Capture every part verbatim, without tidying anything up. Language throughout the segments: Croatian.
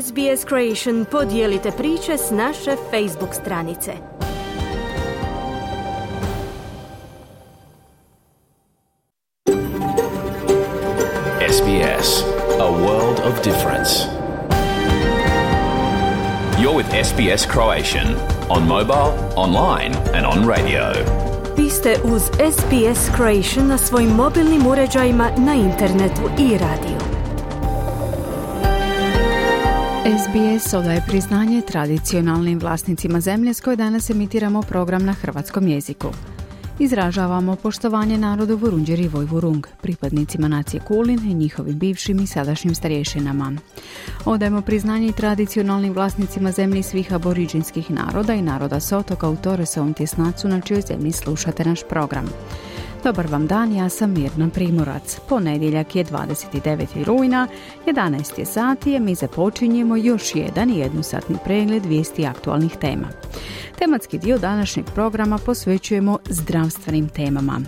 S B S Creation podijelite priče s naše Facebook stranice. S B S, a world of difference. You're with S B S Croatian on mobile, online and on radio. Vi ste uz S B S Croatian na svojim mobilnim uređajima, na internetu i radiju. S B S odaje priznanje tradicionalnim vlasnicima zemlje s koje danas emitiramo program na hrvatskom jeziku. Izražavamo poštovanje narodu Vurundjeri Vojvurung, pripadnicima nacije Kulin i njihovim bivšim i sadašnjim starješinama. Odajemo priznanje i tradicionalnim vlasnicima zemlji svih aboriđinskih naroda i naroda s otoka u Toresovom tjesnacu na čijoj zemlji slušate naš program. Dobar vam dan, ja sam Mirna Primorac. Ponedjeljak je dvadeset deveti rujna, jedanaest je sati, a mi započinjemo još jedan jednosatni pregled vijesti aktualnih tema. Tematski dio današnjeg programa posvećujemo zdravstvenim temama.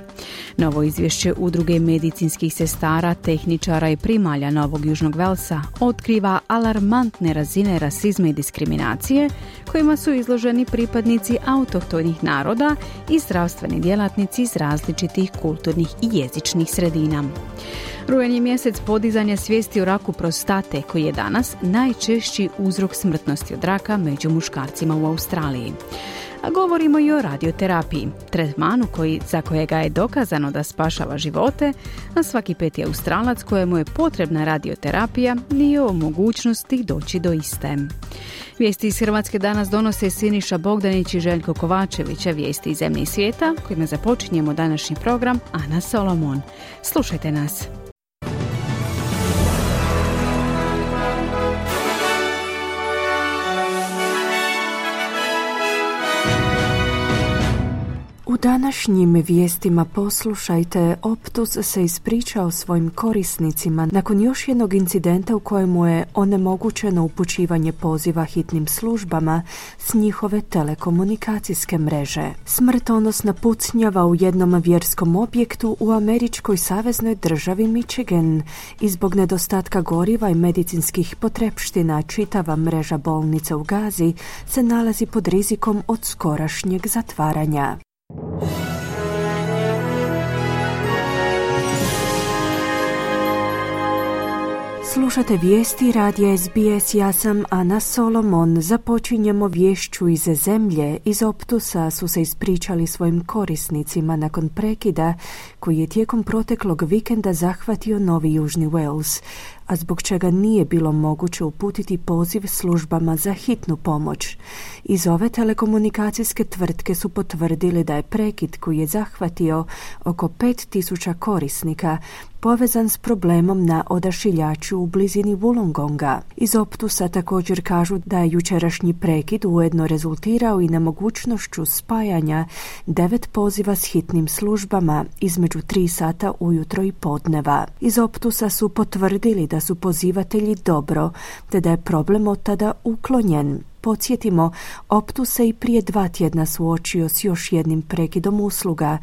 Novo izvješće Udruge medicinskih sestara, tehničara i primalja Novog Južnog Velsa otkriva alarmantne razine rasizma i diskriminacije kojima su izloženi pripadnici autohtonih naroda i zdravstveni djelatnici iz različitih kulturnih i jezičnih sredina. Rujan je mjesec podizanja svijesti o raku prostate, koji je danas najčešći uzrok smrtnosti od raka među muškarcima u Australiji. A govorimo i o radioterapiji, tretmanu koji, za kojega je dokazano da spašava živote, a svaki peti Australac kojemu je potrebna radioterapija nije u mogućnosti doći do iste. Vijesti iz Hrvatske danas donose Siniša Bogdanić i Željko Kovačević, a vijesti iz zemlje i svijeta, kojima započinjemo današnji program, Ana Solomon. Slušajte nas. U današnjim vijestima poslušajte, Optus se ispričao svojim korisnicima nakon još jednog incidenta u kojemu je onemogućeno upućivanje poziva hitnim službama s njihove telekomunikacijske mreže. Smrtonosna pucnjava u jednom vjerskom objektu u američkoj saveznoj državi Michigan i zbog nedostatka goriva i medicinskih potrepština čitava mreža bolnica u Gazi se nalazi pod rizikom od skorašnjeg zatvaranja. Slušate vijesti radija S B S, ja sam Ana Solomon. Započinjemo vješću iz zemlje. Iz Optusa su se ispričali svojim korisnicima nakon prekida koji je tijekom proteklog vikenda zahvatio Novi Južni Wales, a zbog čega nije bilo moguće uputiti poziv službama za hitnu pomoć. Iz ove telekomunikacijske tvrtke su potvrdili da je prekid koji je zahvatio oko pet tisuća korisnika povezan s problemom na odašiljaču u blizini Wollongonga. Iz Optusa također kažu da je jučerašnji prekid ujedno rezultirao i nemogućnošću spajanja devet poziva s hitnim službama između tri sata ujutro i podneva. Iz Optusa su potvrdili da su pozivatelji dobro, te da je problem od tada uklonjen. Podsjetimo, Optus se i prije dva tjedna suočio s još jednim prekidom usluga,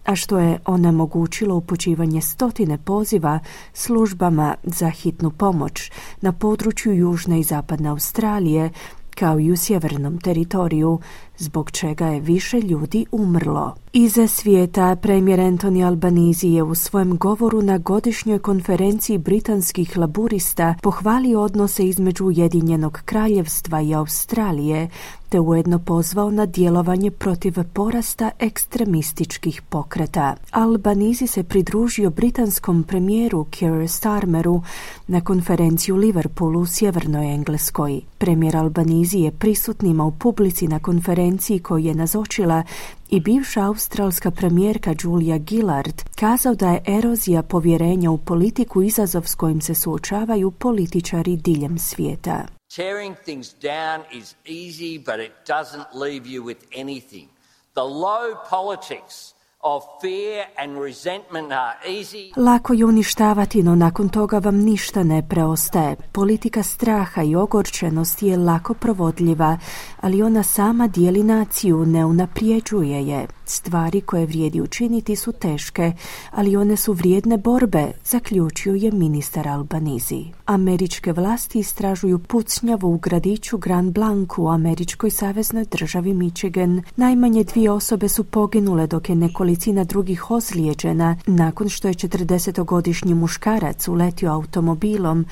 a što je onemogućilo upućivanje stotine poziva službama za hitnu pomoć na području Južne i Zapadne Australije, kao i u sjevernom teritoriju, zbog čega je više ljudi umrlo. Iza svijeta, premijer Anthony Albanese je u svojem govoru na godišnjoj konferenciji britanskih laburista pohvalio odnose između Ujedinjenog kraljevstva i Australije, te ujedno pozvao na djelovanje protiv porasta ekstremističkih pokreta. Albanese se pridružio britanskom premijeru Keir Starmeru na konferenciju u Liverpoolu u sjevernoj Engleskoj. Premijer Albanese je prisutnima u publici na konferenciji koji je nazočila i bivša australska premijerka Julia Gillard kazao da je erozija povjerenja u politiku izazov s kojim se suočavaju političari diljem svijeta. Tearing things down is easy, but it doesn't leave you with anything. The low politics of fear and resentment are easy. Lako je uništavati, no nakon toga vam ništa ne preostaje. Politika straha i ogorčenosti je lako provodljiva, ali ona sama dijeli naciju, ne unaprijeđuje je. Stvari koje vrijedi učiniti su teške, ali one su vrijedne borbe, zaključio je ministar Albanizi. Američke vlasti istražuju pucnjavu u gradiću Grand Blanc u američkoj saveznoj državi Michigan. Najmanje dvije osobe su poginule, dok je nekolicina drugih ozlijeđena nakon što je četrdesetogodišnji muškarac uletio automobilom,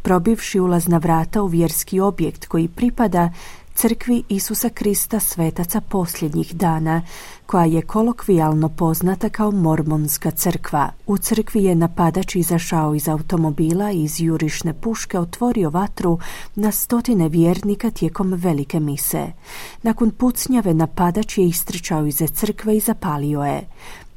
probivši ulazna vrata u vjerski objekt koji pripada crkvi Isusa Krista svetaca posljednjih dana, koja je kolokvijalno poznata kao Mormonska crkva. U crkvi je napadač izašao iz automobila i iz jurišne puške otvorio vatru na stotine vjernika tijekom velike mise. Nakon pucnjave napadač je istrčao iz crkve i zapalio je.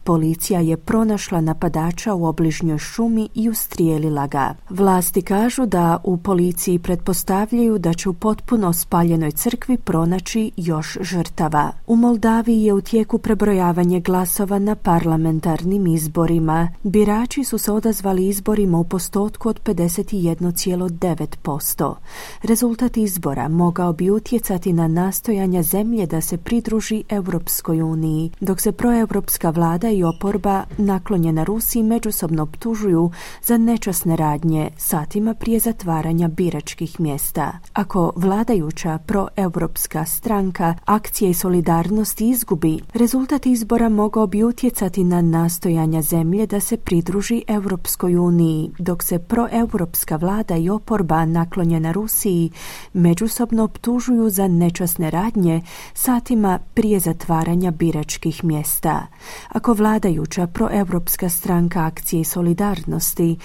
Policija je pronašla napadača u obližnjoj šumi i ustrijelila ga. Vlasti kažu da u policiji pretpostavljaju da će u potpuno spaljenoj crkvi pronaći još žrtava. U Moldaviji je u tijeku prebrojavanje glasova na parlamentarnim izborima. Birači su se odazvali izborima u postotku od pedeset jedan zarez devet posto. Rezultat izbora mogao bi utjecati na nastojanja zemlje da se pridruži Europskoj uniji, dok se proeuropska vlada i oporba naklonjena Rusiji međusobno optužuju za nečasne radnje satima prije zatvaranja biračkih mjesta. Ako vladajuća proeuropska stranka Akcija i solidarnost izgubi, rezultat izbora mogao bi utjecati na nastojanja zemlje da se pridruži Europskoj uniji, dok se proeuropska vlada i oporba naklonjena Rusiji međusobno optužuju za nečasne radnje satima prije zatvaranja biračkih mjesta. Ako vladajuća proeuropska stranka Akcije i solidarnosti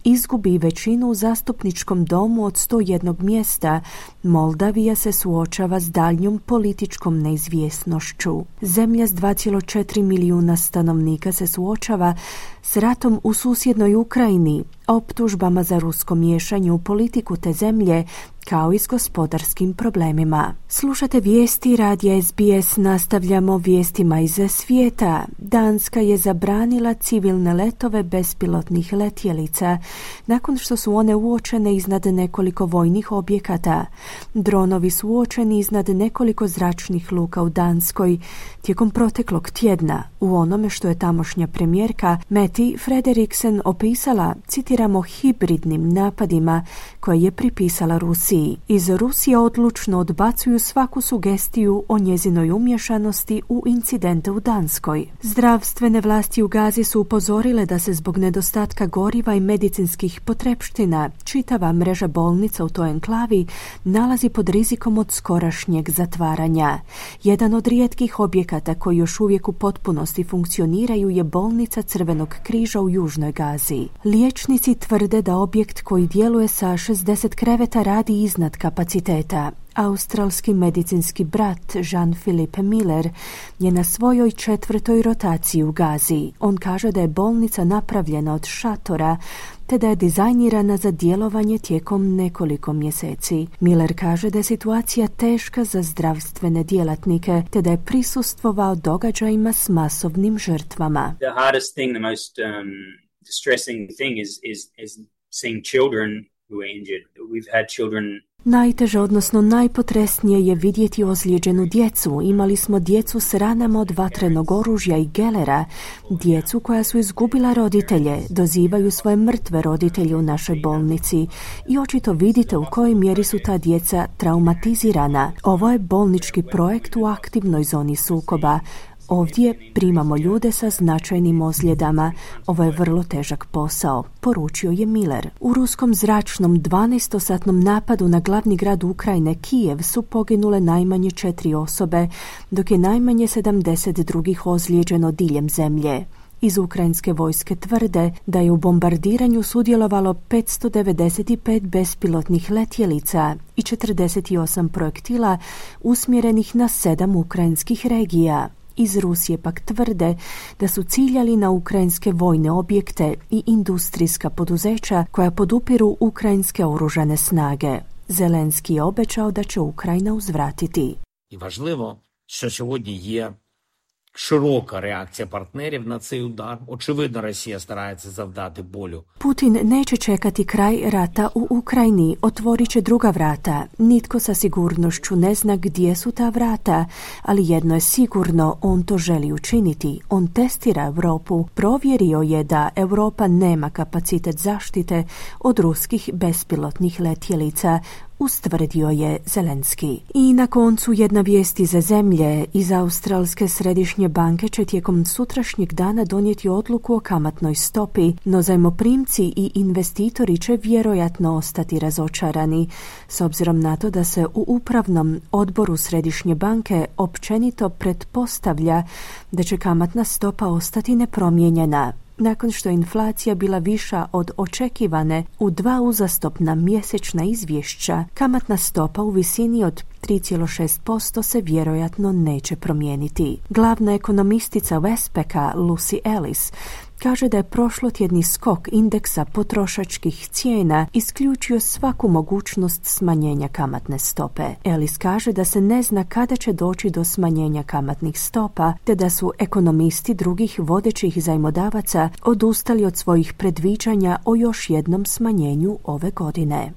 izgubi većinu u zastupničkom domu od sto jednog mjesta, Moldavija se suočava s daljnjom političkom neizvjesnošću. Zemlja s dva zarez četiri milijuna stanovnika se suočava s ratom u susjednoj Ukrajini, optužbama za rusko miješanje u politiku te zemlje, kao i s gospodarskim problemima. Slušate vijesti radija S B S, nastavljamo vijestima iz svijeta. Danska je zabranila civilne letove bespilotnih letjelica nakon što su one uočene iznad nekoliko vojnih objekata. Dronovi su uočeni iznad nekoliko zračnih luka u Danskoj tijekom proteklog tjedna, u onome što je tamošnja premijerka Mette Frederiksen opisala, citiramo, hibridnim napadima koje je pripisala Rusiji. Iz Rusije odlučno odbacuju svaku sugestiju o njezinoj umješanosti u incidente u Danskoj. Zdravstvene vlasti u Gazi su upozorile da se zbog nedostatka goriva i medicinskih potrepština čitava mreža bolnica u toj enklavi nalazi pod rizikom od skorašnjeg zatvaranja. Jedan od rijetkih objekata koji još uvijek u potpunosti funkcioniraju je bolnica Crvenog križa u Južnoj Gazi. Liječnici tvrde da objekt koji djeluje sa šezdeset kreveta radi iznad kapaciteta. Australski medicinski brat Jean-Philippe Miller je na svojoj četvrtoj rotaciji u Gazi. On kaže da je bolnica napravljena od šatora te da je dizajnirana za djelovanje tijekom nekoliko mjeseci. Miller kaže da je situacija teška za zdravstvene djelatnike te da je prisustvovao događajima s masovnim žrtvama. The hardest thing, the most um, distressing thing is, is, is seeing children who are injured. We've had children. Najteže, odnosno najpotresnije je vidjeti ozlijeđenu djecu. Imali smo djecu s ranama od vatrenog oružja i gelera, djecu koja su izgubila roditelje, dozivaju svoje mrtve roditelje u našoj bolnici i očito vidite u kojoj mjeri su ta djeca traumatizirana. Ovo je bolnički projekt u aktivnoj zoni sukoba. Ovdje primamo ljude sa značajnim ozljedama. Ovo je vrlo težak posao, poručio je Miller. U ruskom zračnom dvanaestosatnom napadu na glavni grad Ukrajine, Kijev, su poginule najmanje četiri osobe, dok je najmanje sedamdeset drugih ozlijeđeno diljem zemlje. Iz ukrajinske vojske tvrde da je u bombardiranju sudjelovalo petsto devedeset pet bespilotnih letjelica i četrdeset osam projektila usmjerenih na sedam ukrajinskih regija. Iz Rusije pak tvrde da su ciljali na ukrajinske vojne objekte i industrijska poduzeća koja podupiru ukrajinske oružane snage. Zelenski je obećao da će Ukrajina uzvratiti. I važlivo, što сьогодні є широка реакція партнерів на цей удар. Очевидно, Росія старається завдати болю. Putin neće čekati kraj rata u Ukrajini, otvorit će druga vrata. Nitko sa sigurnošću ne zna gdje su ta vrata, ali jedno je sigurno, on to želi učiniti. On testira Europu. Provjerio je da Europa nema kapacitet zaštite od ruskih bespilotnih letjelica, ustvrdio je Zelenski. I na koncu jedna vijest iz zemlje. Iz Australske središnje banke će tijekom sutrašnjeg dana donijeti odluku o kamatnoj stopi, no zajmoprimci i investitori će vjerojatno ostati razočarani, s obzirom na to da se u upravnom odboru središnje banke općenito pretpostavlja da će kamatna stopa ostati nepromijenjena. Nakon što je inflacija bila viša od očekivane u dva uzastopna mjesečna izvješća, kamatna stopa u visini od tri zarez šest posto se vjerojatno neće promijeniti. Glavna ekonomistica Westpacka Lucy Ellis kaže da je prošlotjedni skok indeksa potrošačkih cijena isključio svaku mogućnost smanjenja kamatne stope. Ellis kaže da se ne zna kada će doći do smanjenja kamatnih stopa, te da su ekonomisti drugih vodećih zajmodavaca odustali od svojih predviđanja o još jednom smanjenju ove godine.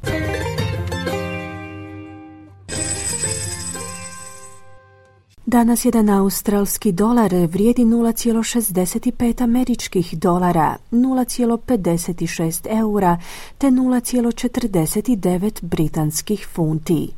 Danas jedan australski dolar vrijedi nula zarez šezdeset pet američkih dolara, nula zarez pedeset šest eura te nula zarez četrdeset devet britanskih funti.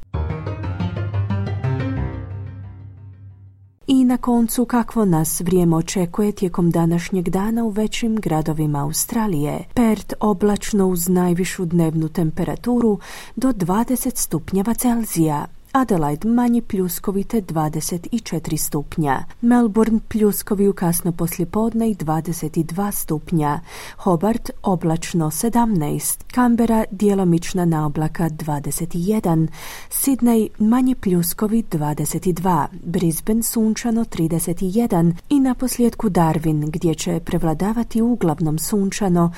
I na koncu kakvo nas vrijeme očekuje tijekom današnjeg dana u većim gradovima Australije. Perth oblačno uz najvišu dnevnu temperaturu do dvadeset stupnjeva Celzija. Adelaide manji pljuskovite dvadeset četiri stupnja. Melbourne pljuskovi u kasno poslijepodne i dvadeset dva stupnja. Hobart oblačno sedamnaest. Canberra djelomična naoblaka dvadeset jedan. Sydney manji pljuskovi dvadeset dva. Brisbane sunčano trideset jedan. I na posljedku Darwin gdje će prevladavati uglavnom sunčano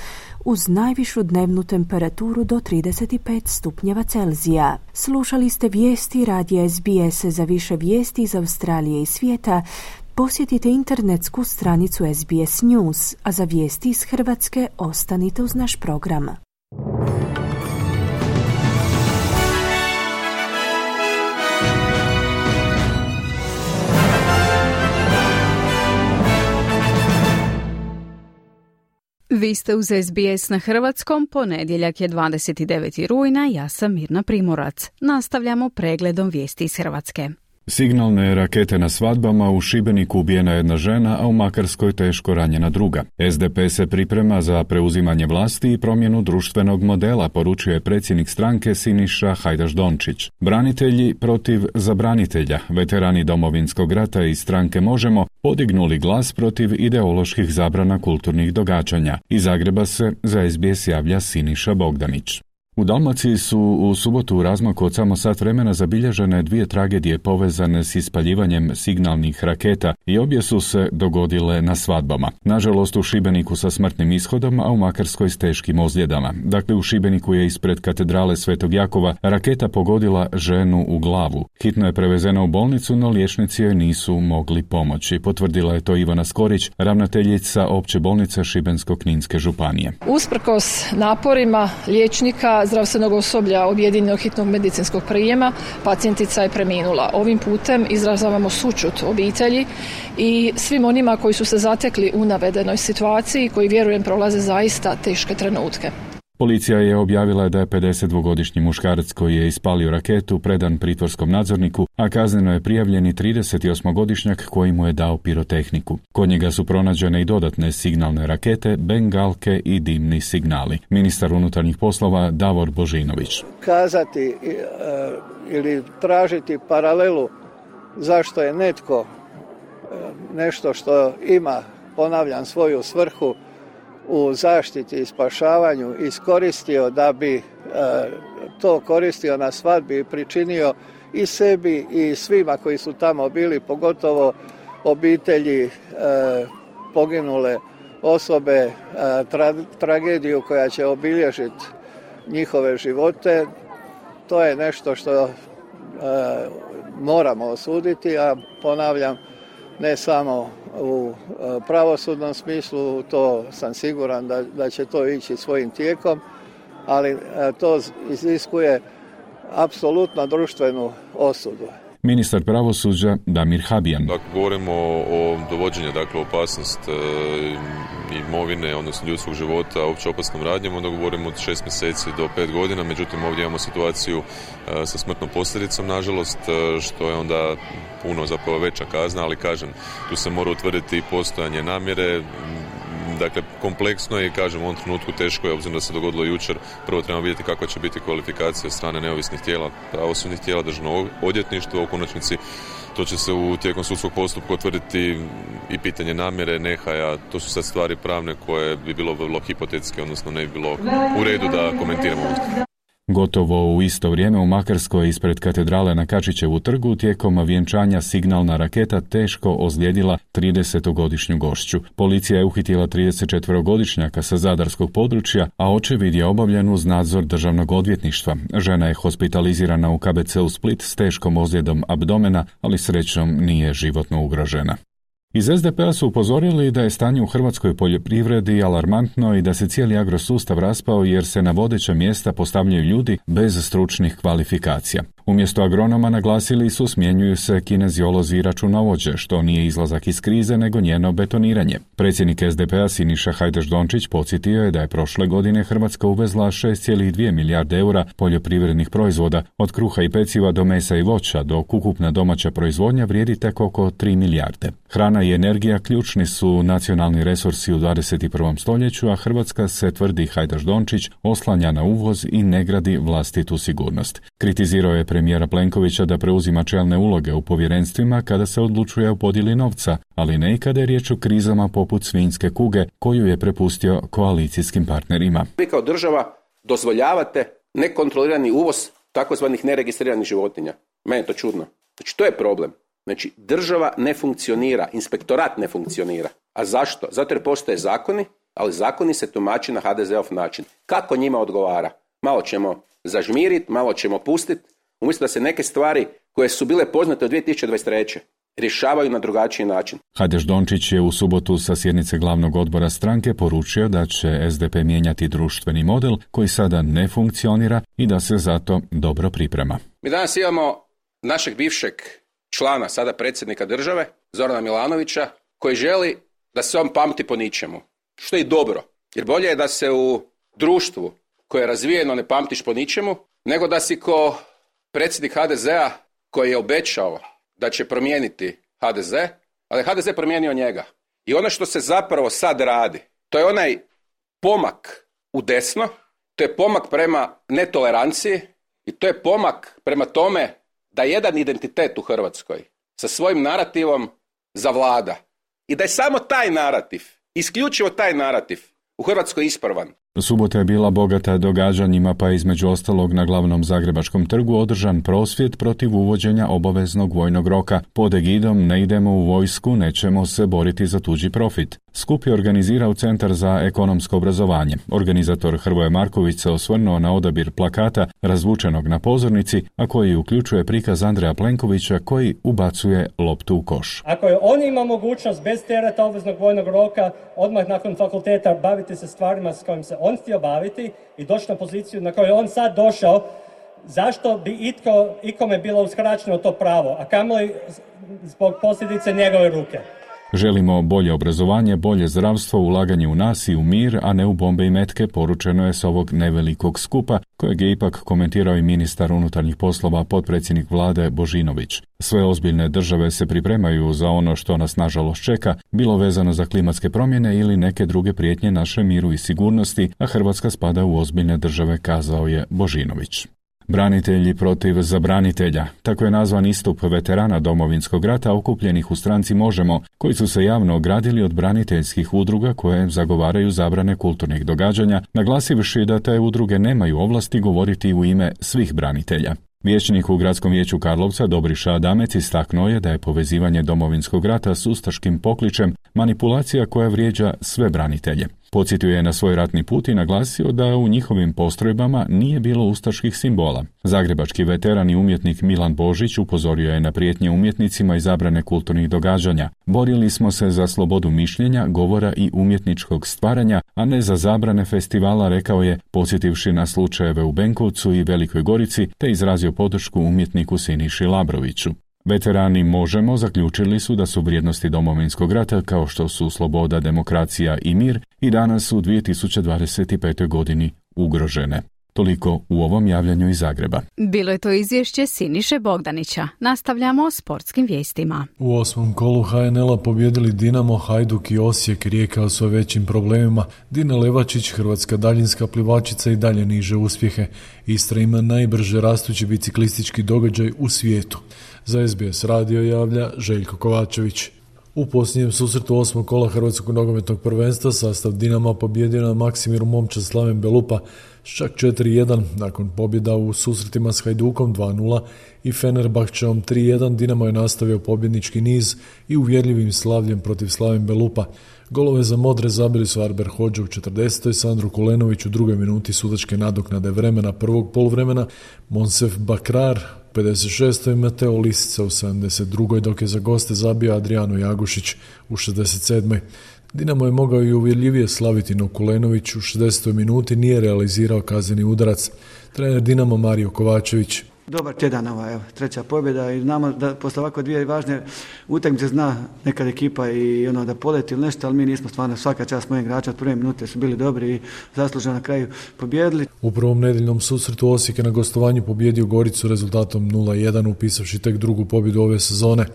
uz najvišu dnevnu temperaturu do trideset pet stupnjeva Celzija. Slušali ste vijesti radija S B S. Za više vijesti iz Australije i svijeta posjetite internetsku stranicu S B S News, a za vijesti iz Hrvatske ostanite uz naš program. Vi ste uz S B S na hrvatskom, ponedjeljak je dvadeset deveti rujna, ja sam Mirna Primorac. Nastavljamo pregledom vijesti iz Hrvatske. Signalne rakete na svadbama, u Šibeniku ubijena jedna žena, a u Makarskoj teško ranjena druga. S D P se priprema za preuzimanje vlasti i promjenu društvenog modela, poručio je predsjednik stranke Siniša Hajdaš-Dončić. Branitelji protiv zabranitelja, veterani Domovinskog rata i stranke Možemo, podignuli glas protiv ideoloških zabrana kulturnih događanja. Iz Zagreba se za S B S javlja Siniša Bogdanić. U Dalmaciji su u subotu u razmaku od samo sat vremena zabilježene dvije tragedije povezane s ispaljivanjem signalnih raketa i obje su se dogodile na svadbama. Nažalost u Šibeniku sa smrtnim ishodom, a u Makarskoj s teškim ozljedama. Dakle, u Šibeniku je ispred katedrale Svetog Jakova raketa pogodila ženu u glavu. Hitno je prevezena u bolnicu, no liječnici joj nisu mogli pomoći. Potvrdila je to Ivana Skorić, ravnateljica opće bolnice Šibensko-kninske županije. Usprkos naporima liječnika, zdravstvenog osoblja objedinjenog hitnog medicinskog prijema, pacijentica je preminula. Ovim putem izražavamo sućut obitelji i svim onima koji su se zatekli u navedenoj situaciji, koji vjerujem prolaze zaista teške trenutke. Policija je objavila da je pedesetdvogodišnji muškarac koji je ispalio raketu predan pritvorskom nadzorniku, a kazneno je prijavljen i tridesetosmogodišnjak koji mu je dao pirotehniku. Kod njega su pronađene i dodatne signalne rakete, bengalke i dimni signali. Ministar unutarnjih poslova Davor Božinović. Kazati e, ili tražiti paralelu zašto je netko e, nešto što ima, ponavljam, svoju svrhu u zaštiti i spašavanju iskoristio da bi e, to koristio na svadbi i pričinio i sebi i svima koji su tamo bili, pogotovo obitelji e, poginule osobe, e, tra, tragediju koja će obilježiti njihove živote. To je nešto što e, moramo osuditi, a ponavljam, ne samo u pravosudnom smislu, to sam siguran da, da će to ići svojim tijekom, ali to iziskuje apsolutno društvenu osudu. Ministar pravosuđa Damir Habijan. Dakle, govorimo o, o dovođenju, dakle, opasnost e, imovine, odnosno ljudskog života opće opasnom radnjom, onda govorimo od šest mjeseci do pet godina, međutim ovdje imamo situaciju e, sa smrtnom posljedicom, nažalost, e, što je onda puno zapravo veća kazna, ali kažem, tu se mora utvrditi postojanje namjere. Dakle, kompleksno je i kažem u ovom trenutku teško je, obzirom da se dogodilo jučer, prvo trebamo vidjeti kakva će biti kvalifikacija od strane neovisnih tijela, pravosudnih tijela, državnog odvjetništva, u konačnici to će se u tijekom sudskog postupka utvrditi i pitanje namjere, nehaja, to su sad stvari pravne koje bi bilo vrlo hipotetske, odnosno ne bi bilo u redu da komentiramo. Gotovo u isto vrijeme u Makarskoj ispred katedrale na Kačićevu trgu tijekom vjenčanja signalna raketa teško ozlijedila tridesetogodišnju gošću. Policija je uhitila tridesetčetverogodišnjaka sa zadarskog područja, a očevid je obavljen uz nadzor državnog odvjetništva. Žena je hospitalizirana u K B C u Split s teškom ozljedom abdomena, ali srećom nije životno ugrožena. Iz S D P-a su upozorili da je stanje u hrvatskoj poljoprivredi alarmantno i da se cijeli agrosustav raspao jer se na vodeća mjesta postavljaju ljudi bez stručnih kvalifikacija. Umjesto agronoma naglasili su smjenjuju se kineziolozi i računovođe, što nije izlazak iz krize nego njeno betoniranje. Predsjednik S D P-a Siniša Hajdaš Dončić podsjetio je da je prošle godine Hrvatska uvezla šest zarez dvije milijarde eura poljoprivrednih proizvoda, od kruha i peciva do mesa i voća, dok ukupna domaća proizvodnja vrijedi tek oko tri milijarde. Hrana i energija ključni su nacionalni resursi u dvadeset i prvom stoljeću, a Hrvatska se, tvrdi Hajdaš Dončić, oslanja na uvoz i ne gradi vlastitu sigurnost. Kritizirao je premijera Plenkovića da preuzima čelne uloge u povjerenstvima kada se odlučuje o podjeli novca, ali ne i kada je riječ o krizama poput svinjske kuge koju je prepustio koalicijskim partnerima. Vi kao država dozvoljavate nekontrolirani uvoz takozvanih neregistriranih životinja. Meni je to čudno. Znači, to je problem. Znači, država ne funkcionira, inspektorat ne funkcionira. A zašto? Zato jer postoje zakoni, ali zakoni se tumači na H D Z-ov način. Kako njima odgovara? Malo ćemo zažmiriti, malo ćemo pustiti, umjesto da se neke stvari koje su bile poznate od dvije tisuće dvadeset treće rješavaju na drugačiji način. Hajdaš Dončić je u subotu sa sjednice glavnog odbora stranke poručio da će S D P mijenjati društveni model koji sada ne funkcionira i da se zato dobro priprema. Mi danas imamo našeg bivšeg člana, sada predsjednika države, Zorana Milanovića, koji želi da se on pamti po ničemu. Što je i dobro, jer bolje je da se u društvu koje je razvijeno ne pamtiš po ničemu, nego da si ko predsjednik H D Z-a koji je obećao da će promijeniti H D Z, ali H D Z promijenio njega. I ono što se zapravo sad radi, to je onaj pomak u desno, to je pomak prema netoleranciji i to je pomak prema tome da jedan identitet u Hrvatskoj sa svojim narativom zavlada. I da je samo taj narativ, isključivo taj narativ u Hrvatskoj ispravan. Subota je bila bogata događanjima, pa između ostalog na glavnom Zagrebačkom trgu održan prosvjed protiv uvođenja obaveznog vojnog roka pod egidom "Ne idemo u vojsku, nećemo se boriti za tuđi profit". Skup je organizirao Centar za ekonomsko obrazovanje. Organizator Hrvoje Marković se osvrnuo na odabir plakata razvučenog na pozornici, a koji uključuje prikaz Andreja Plenkovića koji ubacuje loptu u koš. Ako je on ima mogućnost bez tereta obveznog vojnog roka odmah nakon fakulteta baviti se stvarima s kojim se on htio baviti i doći na poziciju na koju je on sad došao, zašto bi itko, ikome bilo uskraćeno to pravo, a kamoli zbog posljedice njegove ruke? Želimo bolje obrazovanje, bolje zdravstvo, ulaganje u nas i u mir, a ne u bombe i metke, poručeno je s ovog nevelikog skupa, kojeg je ipak komentirao i ministar unutarnjih poslova, potpredsjednik vlade Božinović. Sve ozbiljne države se pripremaju za ono što nas nažalost čeka, bilo vezano za klimatske promjene ili neke druge prijetnje našem miru i sigurnosti, a Hrvatska spada u ozbiljne države, kazao je Božinović. Branitelji protiv zabranitelja. Tako je nazvan istup veterana Domovinskog rata okupljenih u stranci Možemo, koji su se javno ogradili od braniteljskih udruga koje zagovaraju zabrane kulturnih događanja, naglasivši da te udruge nemaju ovlasti govoriti u ime svih branitelja. Vijećnik u Gradskom vijeću Karlovca Dobriša Adamec istaknuo je da je povezivanje Domovinskog rata s ustaškim pokličem manipulacija koja vrijeđa sve branitelje. Podsjetio je na svoj ratni put i naglasio da u njihovim postrojbama nije bilo ustaških simbola. Zagrebački veteran i umjetnik Milan Božić upozorio je na prijetnje umjetnicima i zabrane kulturnih događanja. Borili smo se za slobodu mišljenja, govora i umjetničkog stvaranja, a ne za zabrane festivala, rekao je, podsjetivši na slučajeve u Benkovcu i Velikoj Gorici, te izrazio podršku umjetniku Siniši Labroviću. Veterani Možemo zaključili su da su vrijednosti Domovinskog rata, kao što su sloboda, demokracija i mir, i danas u dvije tisuće dvadeset petoj godini ugrožene. Toliko u ovom javljanju iz Zagreba. Bilo je to izvješće Siniše Bogdanića. Nastavljamo s sportskim vijestima. U osmom kolu ha en el-a pobjedili Dinamo, Hajduk i Osijek. Rijeka o sve većim problemima. Dina Levačić, hrvatska daljinska plivačica, i dalje niže uspjehe. Istra ima najbrže rastući biciklistički događaj u svijetu. Za es be es radio javlja Željko Kovačević. U posljednjem susretu osmog kola Hrvatskog nogometnog prvenstva sastav Dinama pobjedio na Maksimiru momčad Slaven Belupa s čak četiri jedan, nakon pobjeda u susretima s Hajdukom dva nula i Fenerbahčeom tri jedan. Dinamo je nastavio pobjednički niz i uvjerljivim slavljem protiv Slaven Belupa. Golove za modre zabili su Arber Hodža u četrdesetoj, Sandro Kulenović u drugoj minuti sudačke nadoknade vremena prvog poluvremena, Monsef Bakrar u pedeset šestoj i Mateo Lisica u sedamdeset drugoj, dok je za goste zabio Adriano Jagušić u šezdeset sedmoj. Dinamo je mogao i uvjerljivije slaviti, no Kulenović u šezdesetoj minuti nije realizirao kazneni udarac. Trener Dinamo Mario Kovačević. Dobar tjedan, ova, evo, treća pobjeda, i znamo da posle ovako dvije važne utakmice zna nekad ekipa i ono da poleti ili nešto, ali mi nismo, stvarno svaka čast mojeg igrača od prve minute su bili dobri i zasluženo na kraju pobjedili. U prvom nedjeljnom susretu Osijek je na gostovanju pobjedio Goricu rezultatom nula jedan, upisavši tek drugu pobjedu ove sezone.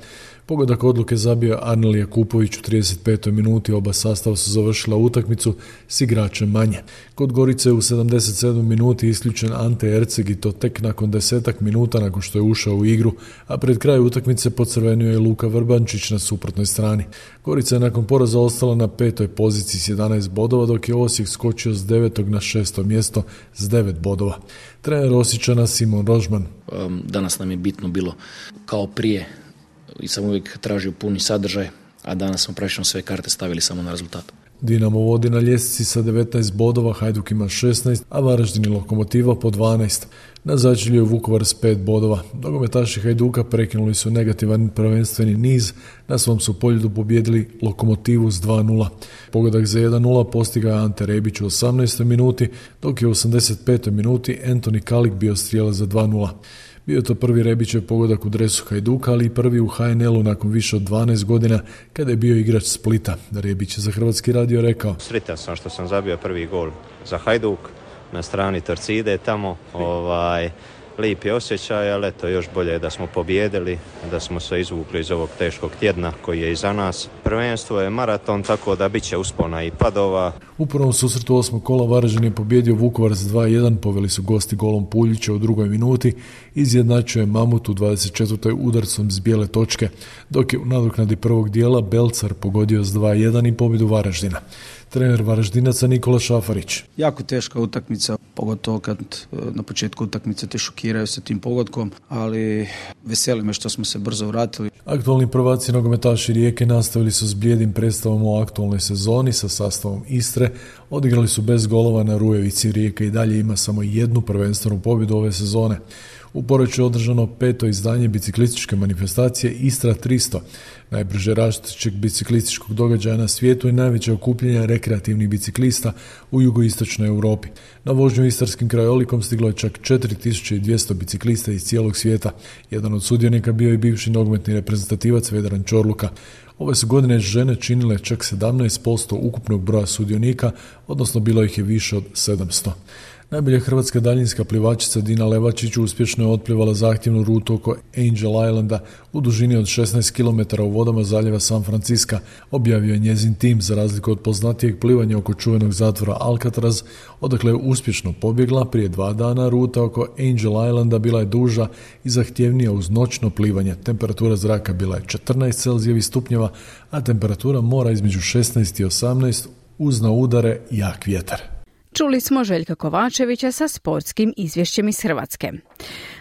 Pogodak odluke zabio Arnel Jakupović u trideset petoj minuti, oba sastava su završila utakmicu s igračem manje. Kod Gorice u sedamdeset sedmoj minuti isključen Ante Erceg, i to tek nakon desetak minuta nakon što je ušao u igru, a pred kraj utakmice pocrvenio je Luka Vrbančić na suprotnoj strani. Gorica je nakon poraza ostala na petoj poziciji s jedanaest bodova, dok je Osijek skočio s devetog na šesto mjesto s devet bodova. Trener Osječana Simon Rožman. Um, danas nam je bitno bilo kao prije i sam uvijek tražio puni sadržaj, a danas smo praktično sve karte stavili samo na rezultat. Dinamo vodi na ljestvici sa devetnaest bodova, Hajduk ima šesnaest, a Varaždin i Lokomotiva po dvanaest. Na začelju je Vukovar s pet bodova. Nogometaši Hajduka prekinuli su negativan prvenstveni niz, na svom su poljudu pobjedili Lokomotivu s dva nula. Pogodak za jedan nula postigao je Ante Rebić u osamnaestoj minuti, dok je u osamdeset petoj minuti Antoni Kalik bio strijelac za dva nula. Bio je to prvi Rebićev pogodak u dresu Hajduka, ali i prvi u ha en el-u nakon više od dvanaest godina kada je bio igrač Splita. Rebić je za Hrvatski radio rekao: Sretan sam što sam zabio prvi gol za Hajduk na strani Torcide tamo. Ovaj, lijep je osjećaj, ali eto, još bolje je da smo pobijedili, da smo se izvukli iz ovog teškog tjedna koji je iza nas. Prvenstvo je maraton, tako da bit će uspona i padova. U prvom susretu osmog kola Varaždin je pobjedio Vukovar s dva jedan, poveli su gosti golom Puljića u drugoj minuti, izjednačuje Mamut u dvadeset četvrtoj udarcom s bijele točke, dok je u nadoknadi prvog dijela Belcar pogodio s dva jedan i pobjedu Varaždina. Trener Varaždinaca Nikola Šafarić. Jako teška utakmica, pogotovo kad na početku utakmice te šokiraju sa tim pogodkom, ali veseli me što smo se brzo vratili. Aktualni prvaci nogometaši Rijeke nastavili su s blijedim predstavom o aktualnoj sezoni sa sastavom Istre. Odigrali su bez golova na Rujevici. Rijeka i dalje ima samo jednu prvenstvenu pobjedu ove sezone. U Poreču je održano peto izdanje biciklističke manifestacije Istra tristo, najbrže rastućeg biciklističkog događaja na svijetu i najveće okupljanje rekreativnih biciklista u jugoistočnoj Europi. Na vožnju istarskim krajolikom stiglo je čak četiri tisuće dvjesto biciklista iz cijelog svijeta. Jedan od sudionika bio i bivši nogometni reprezentativac Vedran Čorluka. Ove su godine žene činile čak sedamnaest posto ukupnog broja sudionika, odnosno bilo ih je više od sedamsto. Najbolja hrvatska daljinska plivačica Dina Levačić uspješno je otplivala zahtjevnu rutu oko Angel Islanda u dužini od šesnaest kilometara u vodama zaljeva San Francisca, objavio je njezin tim, za razliku od poznatijeg plivanja oko čuvenog zatvora Alcatraz, odakle je uspješno pobjegla. Prije dva dana ruta oko Angel Islanda bila je duža i zahtjevnija uz noćno plivanje. Temperatura zraka bila je četrnaest celzijevih stupnjeva, a temperatura mora između šesnaest i osamnaest uz na udare jak vjetar. Čuli smo Željka Kovačevića sa sportskim izvješćem iz Hrvatske.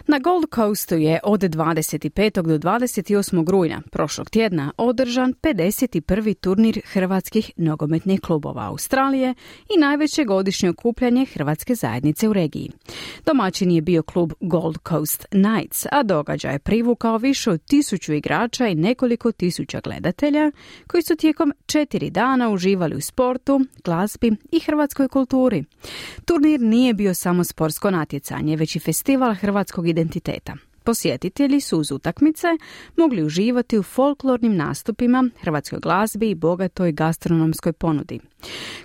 Na Gold Coastu je od dvadeset petog do dvadeset osmog rujna prošlog tjedna održan pedeset prvi turnir hrvatskih nogometnih klubova Australije i najveće godišnje okupljanje hrvatske zajednice u regiji. Domaćin je bio klub Gold Coast Knights, a događaj je privukao više od tisuću igrača i nekoliko tisuća gledatelja koji su tijekom četiri dana uživali u sportu, glazbi i hrvatskoj kulturi. Turnir nije bio samo sportsko natjecanje, već i festival hrvatskog identiteta. Posjetitelji su uz utakmice mogli uživati u folklornim nastupima, hrvatskoj glazbi i bogatoj gastronomskoj ponudi.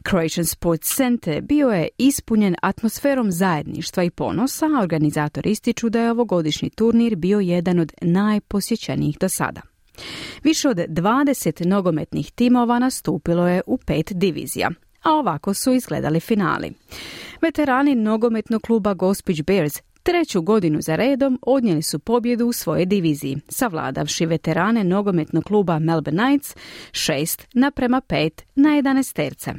Croatian Sports Center bio je ispunjen atmosferom zajedništva i ponosa, a organizatori ističu da je ovogodišnji turnir bio jedan od najposjećenijih do sada. Više od dvadeset nogometnih timova nastupilo je u pet divizija, a ovako su izgledali finali. Veterani nogometnog kluba Gospić Bears treću godinu za redom odnijeli su pobjedu u svojoj diviziji, savladavši veterane nogometnog kluba Melbourne Knights šest naprema pet na jedanaesterce.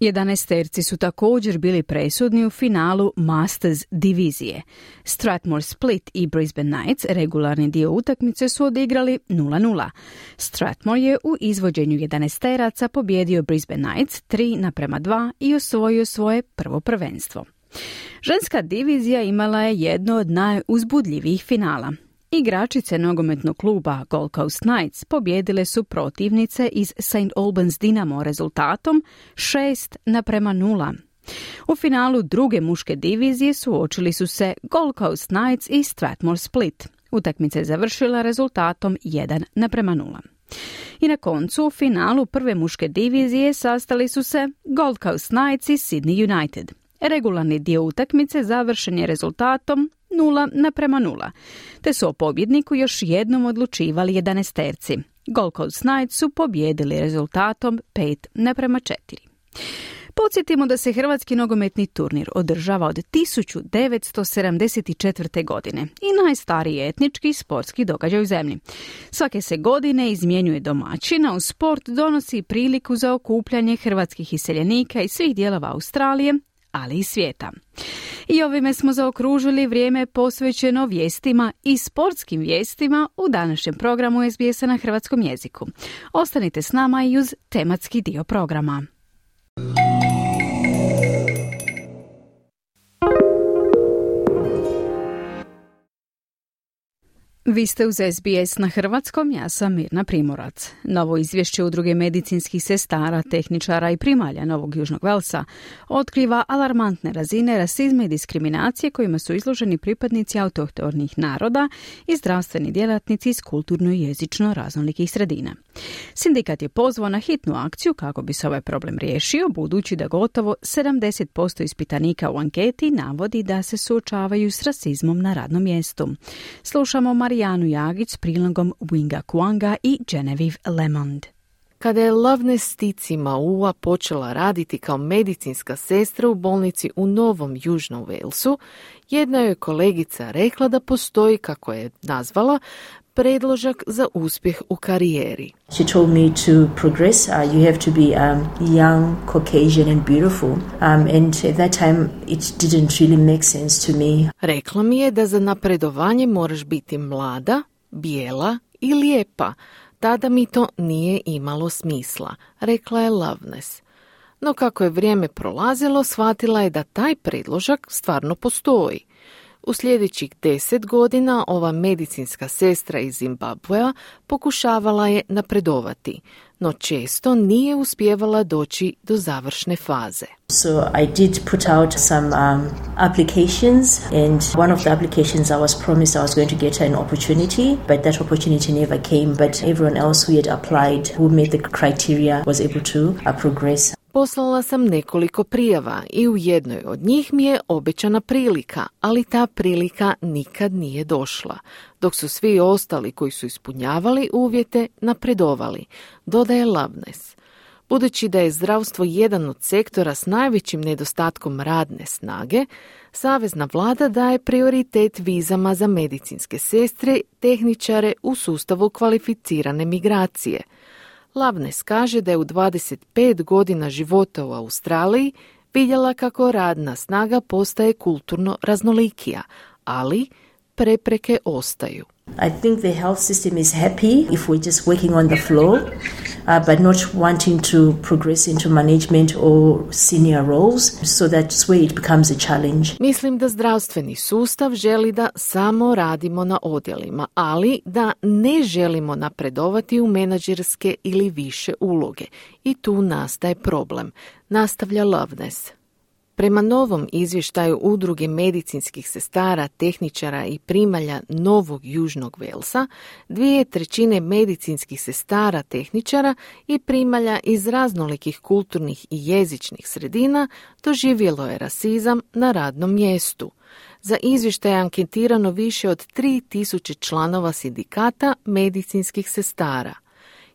Jedanaesterci su također bili presudni u finalu Masters divizije. Strathmore Split i Brisbane Knights regularni dio utakmice su odigrali nula nula. Strathmore je u izvođenju jedanaesteraca pobjedio Brisbane Knights tri naprema dva i osvojio svoje prvo prvenstvo. Ženska divizija imala je jedno od najuzbudljivijih finala. Igračice nogometnog kluba Gold Coast Knights pobjedile su protivnice iz Saint Albans Dinamo rezultatom šest naprema nula. U finalu druge muške divizije suočili su se Gold Coast Knights i Strathmore Split. Utakmica je završila rezultatom jedan naprema nula. I na koncu u finalu prve muške divizije sastali su se Gold Coast Knights i Sydney United. Regularni dio utakmice završen je rezultatom nula naprema nula, te su o pobjedniku još jednom odlučivali jedanaesterci. Gold Coast Knights su pobjedili rezultatom pet naprema četiri. Podsjetimo da se hrvatski nogometni turnir održava od tisuću devetsto sedamdeset četvrte. godine i najstariji etnički sportski događaj u zemlji. Svake se godine izmjenjuje domaćin, a u sport donosi priliku za okupljanje hrvatskih iseljenika iz svih dijelova Australije, ali i svijeta. I ovime smo zaokružili vrijeme posvećeno vijestima i sportskim vijestima u današnjem programu S B S-a na hrvatskom jeziku. Ostanite s nama i uz tematski dio programa. Vi ste uz S B S na hrvatskom, ja sam Mirna Primorac. Novo izvješće Udruge medicinskih sestara, tehničara i primalja Novog Južnog Velsa otkriva alarmantne razine rasizma i diskriminacije kojima su izloženi pripadnici autohtonih naroda i zdravstveni djelatnici iz kulturno i jezično raznolikih sredina. Sindikat je pozvao na hitnu akciju kako bi se ovaj problem riješio, budući da gotovo sedamdeset posto ispitanika u anketi navodi da se suočavaju s rasizmom na radnom mjestu. Slušamo Marijanu Jagić s prilogom Winga Kuanga i Genevieve Lemond. Kada je Loveness Stici Maua počela raditi kao medicinska sestra u bolnici u Novom Južnom Walesu, jedna je kolegica rekla da postoji, kako je nazvala, predložak za uspjeh u karijeri. She told me to progress. Uh, you have to be um, young, Caucasian and beautiful. Um, and at that time it didn't really make sense to me. Rekla mi je da za napredovanje moraš biti mlada, bijela i lijepa. Tada mi to nije imalo smisla, rekla je Loveness. No kako je vrijeme prolazilo, shvatila je da taj predložak stvarno postoji. U sljedećih deset godina ova medicinska sestra iz Zimbabvea pokušavala je napredovati, no često nije uspijevala doći do završne faze. So I did put out some um, applications, and one of the applications I was promised I was going to get an opportunity, but that opportunity never came. But everyone else who had applied, who met the criteria, was able to uh, progress. Poslala sam nekoliko prijava i u jednoj od njih mi je obećana prilika, ali ta prilika nikad nije došla, dok su svi ostali koji su ispunjavali uvjete napredovali, dodaje Loveness. Budući da je zdravstvo jedan od sektora s najvećim nedostatkom radne snage, savezna vlada daje prioritet vizama za medicinske sestre, tehničare u sustavu kvalificirane migracije. Loveness kaže da je u dvadeset pet godina života u Australiji vidjela kako radna snaga postaje kulturno raznolikija, ali prepreke ostaju. I think the health system is happy if we're just working on the floor, uh, but not wanting to progress into management or senior roles, so that's where it becomes a challenge. Mislim da zdravstveni sustav želi da samo radimo na odjelima, ali da ne želimo napredovati u menadžerske ili više uloge. I tu nastaje problem, nastavlja Loveness. Prema novom izvještaju Udruge medicinskih sestara, tehničara i primalja Novog Južnog Velsa, dvije trećine medicinskih sestara, tehničara i primalja iz raznolikih kulturnih i jezičnih sredina doživjelo je rasizam na radnom mjestu. Za izvještaj je anketirano više od tri tisuće članova sindikata medicinskih sestara.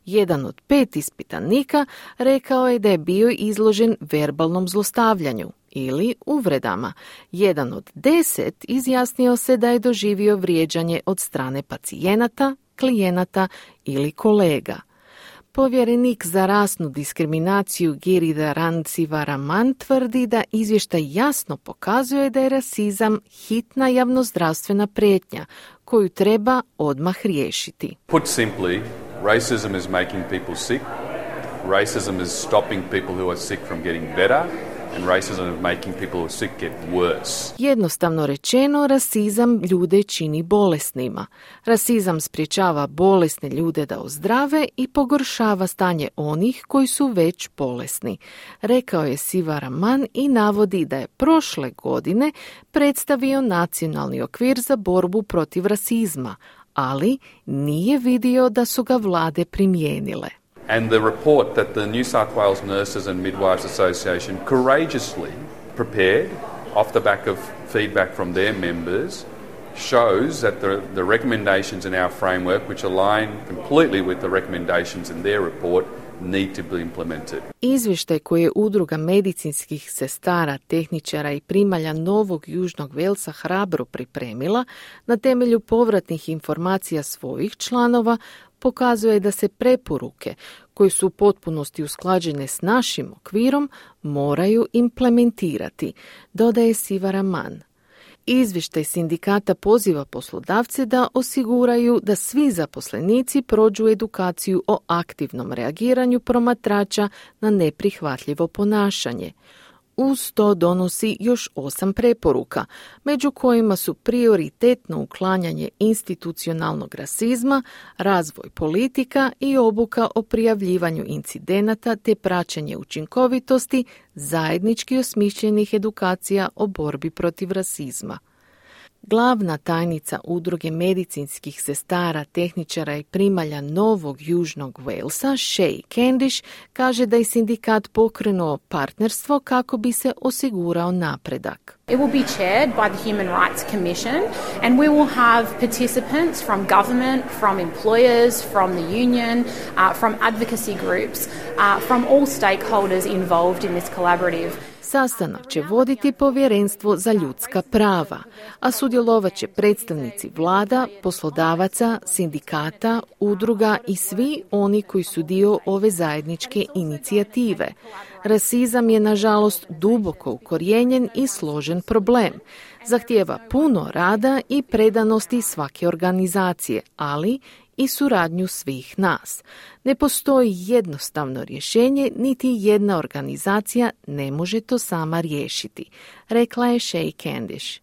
Jedan od pet ispitanika rekao je da je bio izložen verbalnom zlostavljanju ili uvredama. Jedan od deset izjasnio se da je doživio vrijeđanje od strane pacijenata, klijenata ili kolega. Povjerenik za rasnu diskriminaciju Giridharan Sivaraman tvrdi da izvještaj jasno pokazuje da je rasizam hitna javnozdravstvena prijetnja koju treba odmah riješiti. Put simply, racism is making people sick. Racism is stopping people who are sick from getting better. And racism is making people who are sick get worse. Jednostavno rečeno, rasizam ljude čini bolesnima. Rasizam sprječava bolesne ljude da ozdrave i pogoršava stanje onih koji su već bolesni, rekao je Sivaraman i navodi da je prošle godine predstavio nacionalni okvir za borbu protiv rasizma, ali nije vidio da su ga vlade primijenile. And the report that the New South Wales Nurses and Midwives Association courageously prepared off the back of feedback from their members shows that the, the recommendations in our framework, which align completely with the recommendations in their report, need to be implemented. Izvještaj koji je Udruga medicinskih sestara, tehničara i primalja Novog Južnog Velsa hrabro pripremila na temelju povratnih informacija svojih članova pokazuje da se preporuke koje su u potpunosti usklađene s našim okvirom moraju implementirati, dodaje Sivaraman. Izvještaj sindikata poziva poslodavce da osiguraju da svi zaposlenici prođu edukaciju o aktivnom reagiranju promatrača na neprihvatljivo ponašanje. Uz to donosi još osam preporuka, među kojima su prioritetno uklanjanje institucionalnog rasizma, razvoj politika i obuka o prijavljivanju incidenata te praćenje učinkovitosti zajednički osmišljenih edukacija o borbi protiv rasizma. Glavna tajnica Udruge medicinskih sestara, tehničara i primalja Novog Južnog Velsa, Shay Candish, kaže da je sindikat pokrenuo partnerstvo kako bi se osigurao napredak. It will be chaired by the Human Rights Commission and we will have participants from government, from employers, from the union, uh, from advocacy groups, uh, from all stakeholders involved in this collaborative. Sastanak će voditi Povjerenstvo za ljudska prava, a sudjelovat će predstavnici vlada, poslodavaca, sindikata, udruga i svi oni koji su dio ove zajedničke inicijative. Rasizam je, nažalost, duboko ukorijenjen i složen problem. Zahtijeva puno rada i predanosti svake organizacije, ali i suradnju svih nas. Ne postoji jednostavno rješenje, niti jedna organizacija ne može to sama riješiti, rekla je Shay Candish.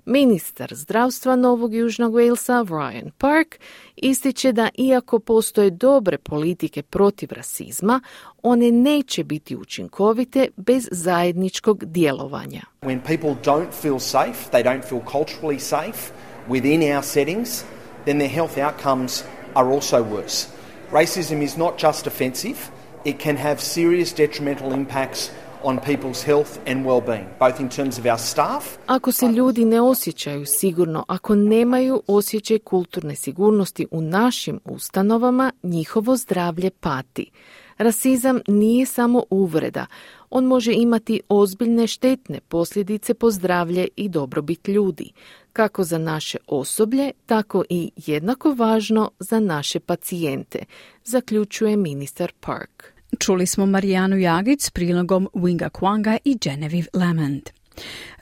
Ministar zdravstva Novog Južnog Velsa, Ryan Park, ističe da iako postoje dobre politike protiv rasizma, one neće biti učinkovite bez zajedničkog djelovanja. When people don't feel safe, they don't feel culturally safe within our settings, then their health outcomes are also worse. Racism is not just offensive, it can have serious detrimental impacts on people's health and well-being, both in terms of our staff. Ako se ljudi ne osjećaju sigurno, ako nemaju osjećaj kulturne sigurnosti u našim ustanovama, njihovo zdravlje pati. Rasizam nije samo uvreda, on može imati ozbiljne štetne posljedice po zdravlje i dobrobit ljudi, kako za naše osoblje, tako i jednako važno za naše pacijente, zaključuje ministar Park. Čuli smo Marijanu Jagić s prilogom Winga Kwanga i Genevieve Lamond.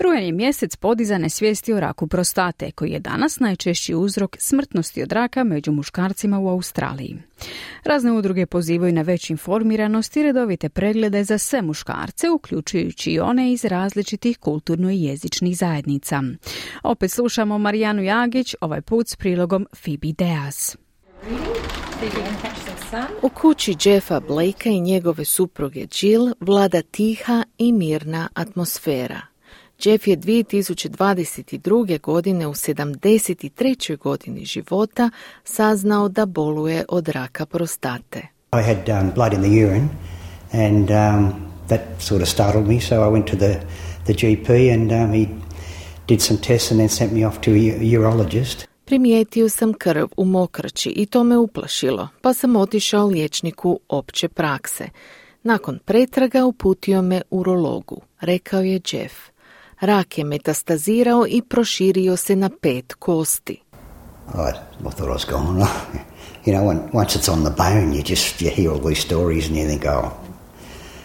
Rujan je mjesec podizane svijesti o raku prostate, koji je danas najčešći uzrok smrtnosti od raka među muškarcima u Australiji. Razne udruge pozivaju na veću informiranost i redovite preglede za sve muškarce, uključujući i one iz različitih kulturno i jezičnih zajednica. Opet slušamo Marijanu Jagić, ovaj put s prilogom Phoebe Deas. U kući Jeffa Blakea i njegove supruge Jill vlada tiha i mirna atmosfera. Jeff je dvije tisuće dvadeset druge. godine u sedamdeset trećoj godini života saznao da boluje od raka prostate. I had um, blood in the urine and um, that sort of startled me, so I went to the, the G P and um, he did some tests and then sent me off to a urologist. Primijetio sam krv u mokraći i to me uplašilo, pa sam otišao liječniku opće prakse. Nakon pretraga uputio me urologu, rekao je Jeff. Rak je metastazirao i proširio se na pet kosti. I, I thought I was gone. You know, when, once it's on the bone, you just you hear all these stories and you think, oh,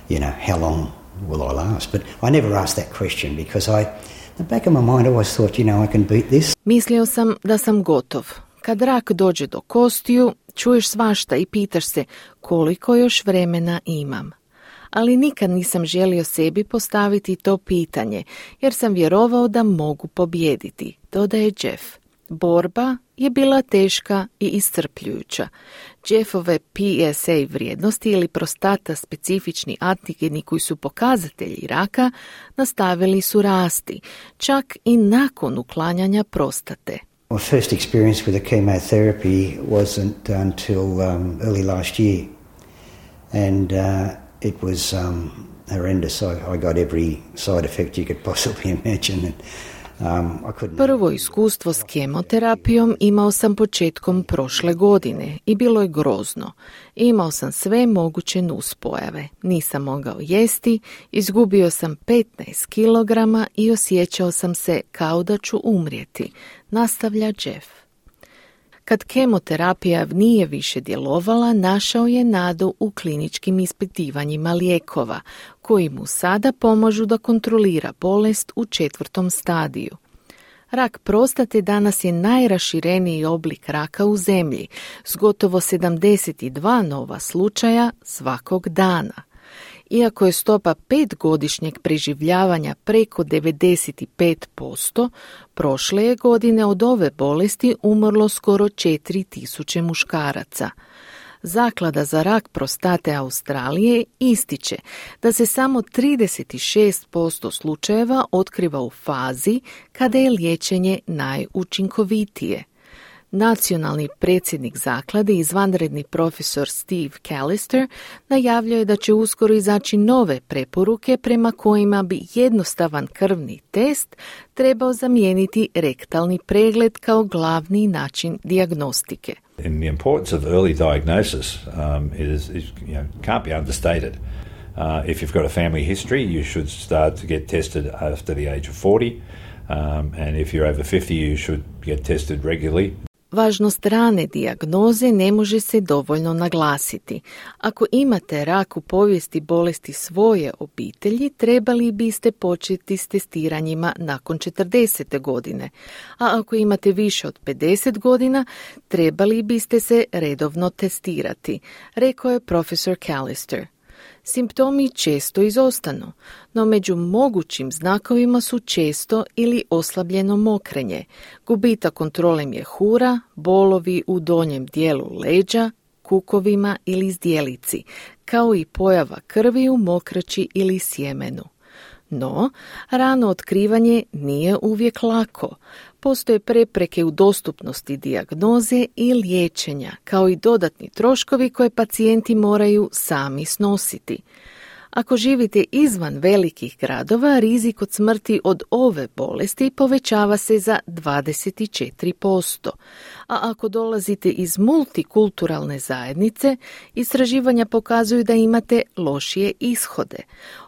you know, how long will I last? But I never asked that question because I, in the back of my mind, I always thought, you know, I can beat this. Mislio sam da sam gotov. Kad rak dođe do kostiju, čuješ svašta i pitaš se koliko još vremena imam. Ali nikad nisam želio sebi postaviti to pitanje, jer sam vjerovao da mogu pobijediti, dodaje Jeff. Borba je bila teška i iscrpljujuća. Jeffove P S A vrijednosti ili prostata specifični antigeni koji su pokazatelji raka nastavili su rasti, čak i nakon uklanjanja prostate. My first experience with the chemotherapy wasn't until um, early last year. And uh, it was um, horrendous. I, I got every side effect you could possibly imagine. And, um, I couldn't... Prvo iskustvo s kemoterapijom imao sam početkom prošle godine i bilo je grozno. Imao sam sve moguće nuspojave. Nisam mogao jesti, izgubio sam petnaest kilograma i osjećao sam se kao da ću umrijeti, nastavlja Jeff. Kad kemoterapija nije više djelovala, našao je nadu u kliničkim ispitivanjima lijekova, koji mu sada pomažu da kontrolira bolest u četvrtom stadiju. Rak prostate danas je najrašireniji oblik raka u zemlji, s gotovo sedamdeset dva nova slučaja svakog dana. Iako je stopa petgodišnjeg preživljavanja preko devedeset pet posto, prošle je godine od ove bolesti umrlo skoro četiri tisuće muškaraca. Zaklada za rak prostate Australije ističe da se samo trideset šest posto slučajeva otkriva u fazi kada je liječenje najučinkovitije. Nacionalni predsjednik zaklade, izvanredni profesor Steve Callister, najavljuje da će uskoro izaći nove preporuke prema kojima bi jednostavan krvni test trebao zamijeniti rektalni pregled kao glavni način dijagnostike. And the importance of early diagnosis um, is, is you know, can't be understated. Uh, if you've got a family history, you should start to get tested after the age of forty, um, and if you're over fifty, you should get tested regularly. Važnost rane dijagnoze ne može se dovoljno naglasiti. Ako imate rak u povijesti bolesti svoje obitelji, trebali biste početi s testiranjima nakon četrdesete godine. A ako imate više od pedeset godina, trebali biste se redovno testirati, rekao je profesor Callister. Simptomi često izostanu, no među mogućim znakovima su često ili oslabljeno mokrenje, gubitak kontrole mjehura, bolovi u donjem dijelu leđa, kukovima ili zdjelici, kao i pojava krvi u mokraći ili sjemenu. No, rano otkrivanje nije uvijek lako. Postoje prepreke u dostupnosti dijagnoze i liječenja, kao i dodatni troškovi koje pacijenti moraju sami snositi. Ako živite izvan velikih gradova, rizik od smrti od ove bolesti povećava se za dvadeset četiri posto. A ako dolazite iz multikulturalne zajednice, istraživanja pokazuju da imate lošije ishode.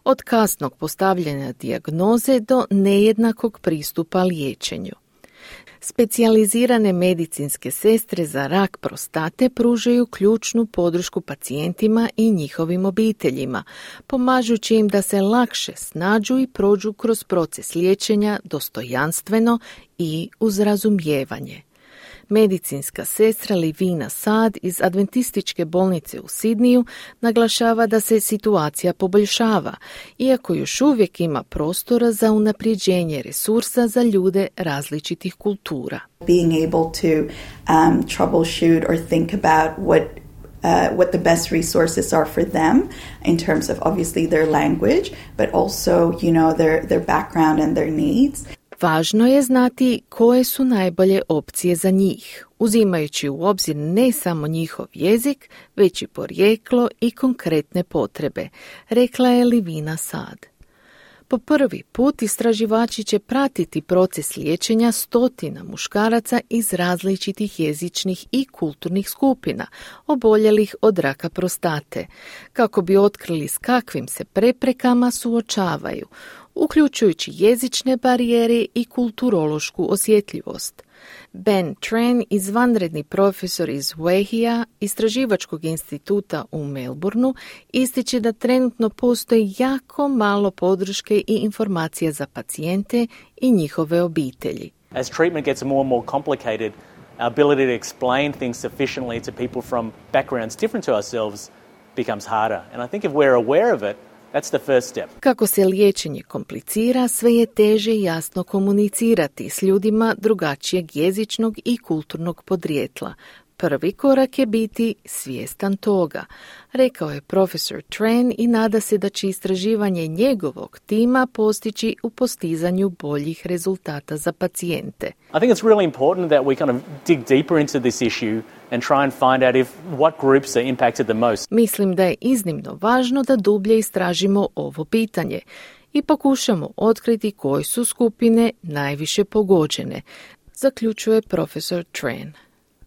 Od kasnog postavljanja dijagnoze do nejednakog pristupa liječenju. Specijalizirane medicinske sestre za rak prostate pružaju ključnu podršku pacijentima i njihovim obiteljima, pomažući im da se lakše snađu i prođu kroz proces liječenja dostojanstveno i uz razumijevanje. Medicinska sestra Livina Sad iz Adventističke bolnice u Sidniju naglašava da se situacija poboljšava, iako još uvijek ima prostora za unapređenje resursa za ljude različitih kultura. Being able to um, troubleshoot or think about what Uh, what the best resources are for them in terms of obviously their language, but also, you know, their, their background and their needs. Važno je znati koje su najbolje opcije za njih, uzimajući u obzir ne samo njihov jezik, već i porijeklo i konkretne potrebe, rekla je Livina Sad. Po prvi put istraživači će pratiti proces liječenja stotina muškaraca iz različitih jezičnih i kulturnih skupina, oboljelih od raka prostate, kako bi otkrili s kakvim se preprekama suočavaju, uključujući jezične barijere i kulturološku osjetljivost. Ben Tran, izvanredni profesor iz Wahia, istraživačkog instituta u Melbourneu, ističe da trenutno postoji jako malo podrške i informacija za pacijente i njihove obitelji. As treatment gets more and more complicated, our ability to explain things sufficiently to people from backgrounds different to ourselves becomes harder. And I think if we're aware of it, that's the first step. Kako se liječenje komplicira, sve je teže jasno komunicirati s ljudima drugačijeg jezičnog i kulturnog podrijetla. Prvi korak je biti svjestan toga, rekao je profesor Tran i nada se da će istraživanje njegovog tima postići u postizanju boljih rezultata za pacijente. I think it's really important that we kind of dig deeper into this issue and try and find out if what groups are impacted the most. Mislim da je iznimno važno da dublje istražimo ovo pitanje i pokušamo otkriti koje su skupine najviše pogođene, zaključuje profesor Tran.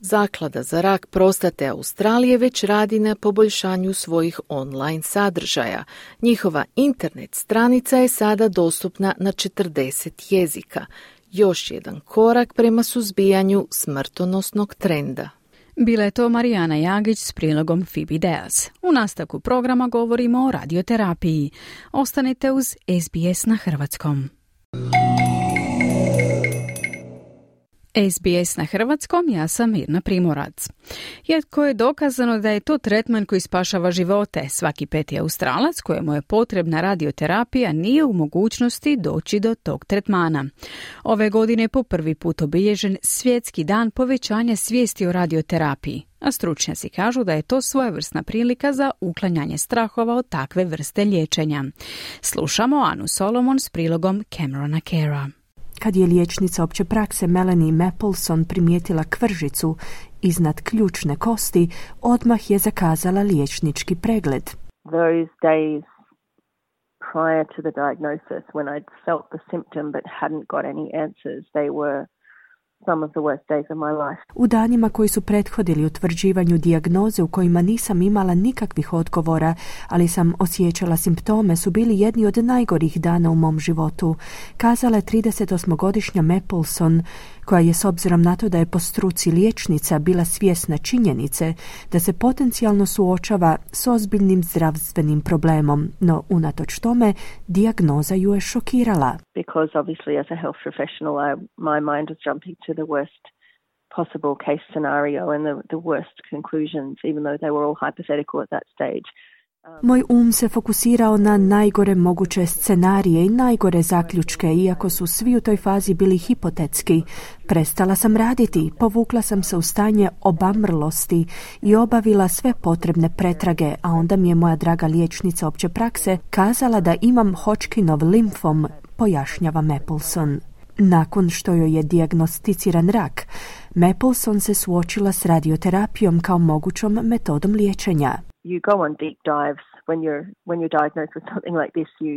Zaklada za rak prostate Australije već radi na poboljšanju svojih online sadržaja. Njihova internet stranica je sada dostupna na četrdeset jezika. Još jedan korak prema suzbijanju smrtonosnog trenda. Bila je to Marijana Jagić s prilogom Phoebe Deas. U nastavku programa govorimo o radioterapiji. Ostanite uz S B S na hrvatskom. S B S na hrvatskom, ja sam Mirna Primorac. Iako je dokazano da je to tretman koji spašava živote, svaki peti Australac kojemu je potrebna radioterapija nije u mogućnosti doći do tog tretmana. Ove godine po prvi put obilježen Svjetski dan povećanja svijesti o radioterapiji, a stručnjaci kažu da je to svojevrsna prilika za uklanjanje strahova od takve vrste liječenja. Slušamo Anu Solomon s prilogom Camerona Cara. Kad je liječnica opće prakse Melanie Mapleson primijetila kvržicu iznad ključne kosti, odmah je zakazala liječnički pregled. Those days prior to the diagnosis, when I'd felt the symptom but hadn't got any answers, they were some of the worst days of my life. U danima koji su prethodili utvrđivanju dijagnoze u kojima nisam imala nikakvih odgovora, ali sam osjećala simptome, su bili jedni od najgorih dana u mom životu, kazala je tridesetosmogodišnja Mapleson, koja je s obzirom na to da je po struci liječnica bila svjesna činjenice da se potencijalno suočava s ozbiljnim zdravstvenim problemom, no unatoč tome dijagnoza ju je šokirala. Because obviously as a health professional I, my mind was jumping to the worst possible case scenario and the, the worst conclusions, even though they were all hypothetical at that stage. Moj um se fokusirao na najgore moguće scenarije i najgore zaključke, iako su svi u toj fazi bili hipotetski. Prestala sam raditi, povukla sam se u stanje obamrlosti i obavila sve potrebne pretrage, a onda mi je moja draga liječnica opće prakse kazala da imam Hodgkinov limfom, pojašnjava Mapleson. Nakon što joj je dijagnosticiran rak, Mapleson se suočila s radioterapijom kao mogućom metodom liječenja. You go on deep dives when you're when you're diagnosed with something like this. You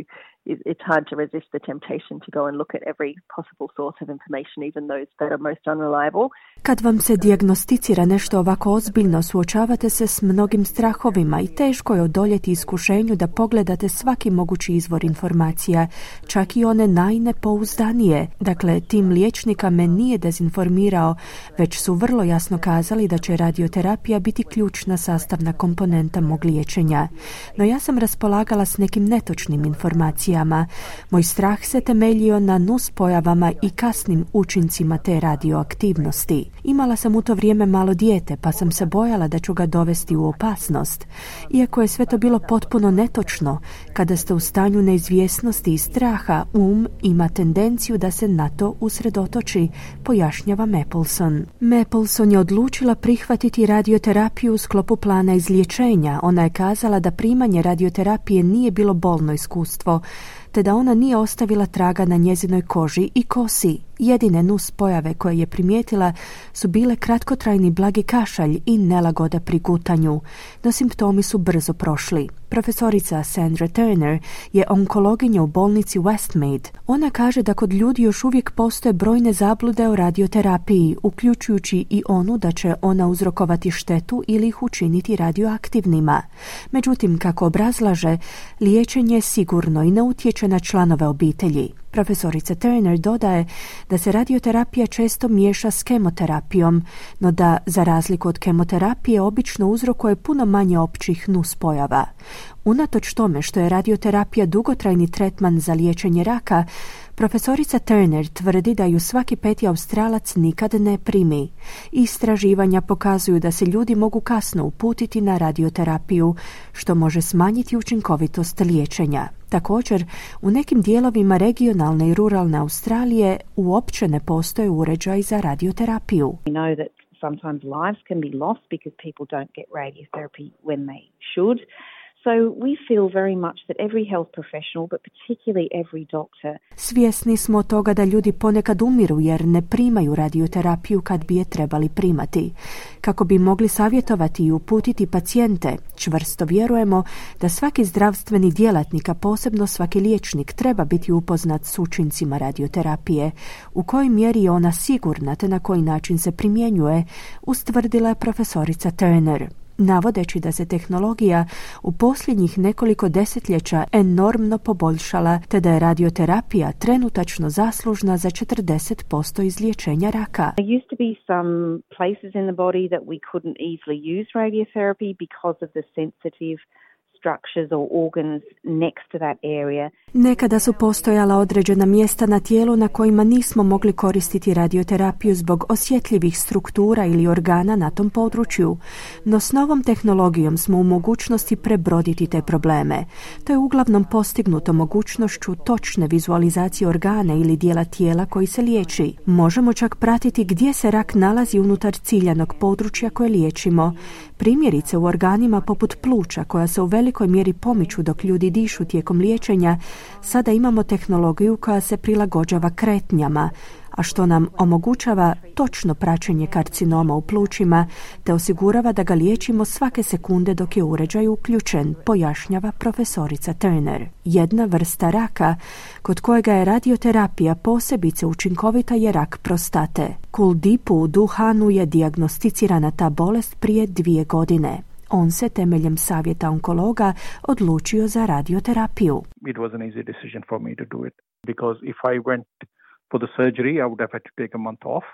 it's hard to resist the temptation to go and look at every possible source of information, even those that are most unreliable. Kad vam se dijagnosticira nešto ovako ozbiljno, suočavate se s mnogim strahovima i teško je odoljeti iskušenju da pogledate svaki mogući izvor informacija, čak i one najnepouzdanije. Dakle, tim liječnika me nije dezinformirao, već su vrlo jasno kazali da će radioterapija biti ključna sastavna komponenta mog liječenja. No ja sam raspolagala s nekim netočnim informacijama. Moj strah se temeljio na nuspojavama i kasnim učincima te radioaktivnosti. Imala sam u to vrijeme malo dijete, pa sam se bojala da ću ga dovesti u opasnost. Iako je sve to bilo potpuno netočno, kada ste u stanju neizvjesnosti i straha, um ima tendenciju da se na to usredotoči, pojašnjava Mapleson. Mapleson je odlučila prihvatiti radioterapiju u sklopu plana izliječenja. Ona je kazala da primanje radioterapije nije bilo bolno iskustvo, te da ona nije ostavila traga na njezinoj koži i kosi. Jedine nus pojave koje je primijetila su bile kratkotrajni blagi kašalj i nelagoda pri gutanju, no simptomi su brzo prošli. Profesorica Sandra Turner je onkologinja u bolnici Westmead. Ona kaže da kod ljudi još uvijek postoje brojne zablude o radioterapiji, uključujući i onu da će ona uzrokovati štetu ili ih učiniti radioaktivnima. Međutim, kako obrazlaže, liječenje je sigurno i ne utječe na članove obitelji. Profesorica Turner dodaje da se radioterapija često miješa s kemoterapijom, no da, za razliku od kemoterapije, obično uzrokuje puno manje općih nuspojava. Unatoč tome što je radioterapija dugotrajni tretman za liječenje raka, profesorica Turner tvrdi da ju svaki peti Australac nikad ne primi. Istraživanja pokazuju da se ljudi mogu kasno uputiti na radioterapiju, što može smanjiti učinkovitost liječenja. Također, u nekim dijelovima regionalne i ruralne Australije uopće ne postoje uređaj za radioterapiju. We know that sometimes lives can be lost because people don't get radiotherapy when they should. So we feel very much that every health professional, but particularly every doctor. Svjesni smo toga da ljudi ponekad umiru jer ne primaju radioterapiju kad bi je trebali primati. Kako bi mogli savjetovati i uputiti pacijente, čvrsto vjerujemo da svaki zdravstveni djelatnik, a posebno svaki liječnik, treba biti upoznat s učincima radioterapije, u kojoj mjeri je ona sigurna te na koji način se primjenjuje, ustvrdila je profesorica Turner, navodeći da se tehnologija u posljednjih nekoliko desetljeća enormno poboljšala, te da je radioterapija trenutačno zaslužna za četrdeset posto izliječenja raka. There used to be some places in the body that we couldn't easily use radiotherapy because of the sensitive structures or organs next to that area. Nekada su postojala određena mjesta na tijelu na kojima nismo mogli koristiti radioterapiju zbog osjetljivih struktura ili organa na tom području, no s novom tehnologijom smo u mogućnosti prebroditi te probleme. To je uglavnom postignuto mogućnošću točne vizualizacije organa ili dijela tijela koji se liječi. Možemo čak pratiti gdje se rak nalazi unutar ciljanog područja koje liječimo. Primjerice u organima poput pluća koja se u velikoj mjeri pomiču dok ljudi dišu tijekom liječenja, sada imamo tehnologiju koja se prilagođava kretnjama, a što nam omogućava točno praćenje karcinoma u plućima te osigurava da ga liječimo svake sekunde dok je uređaj uključen, pojašnjava profesorica Turner. Jedna vrsta raka kod kojega je radioterapija posebice učinkovita je rak prostate. Kuldipu u Duhanu je dijagnosticirana ta bolest prije dvije godine. On se temeljem savjeta onkologa odlučio za radioterapiju. It was an easy decision for me to do it because if I went for the surgery I would have had to take a month off.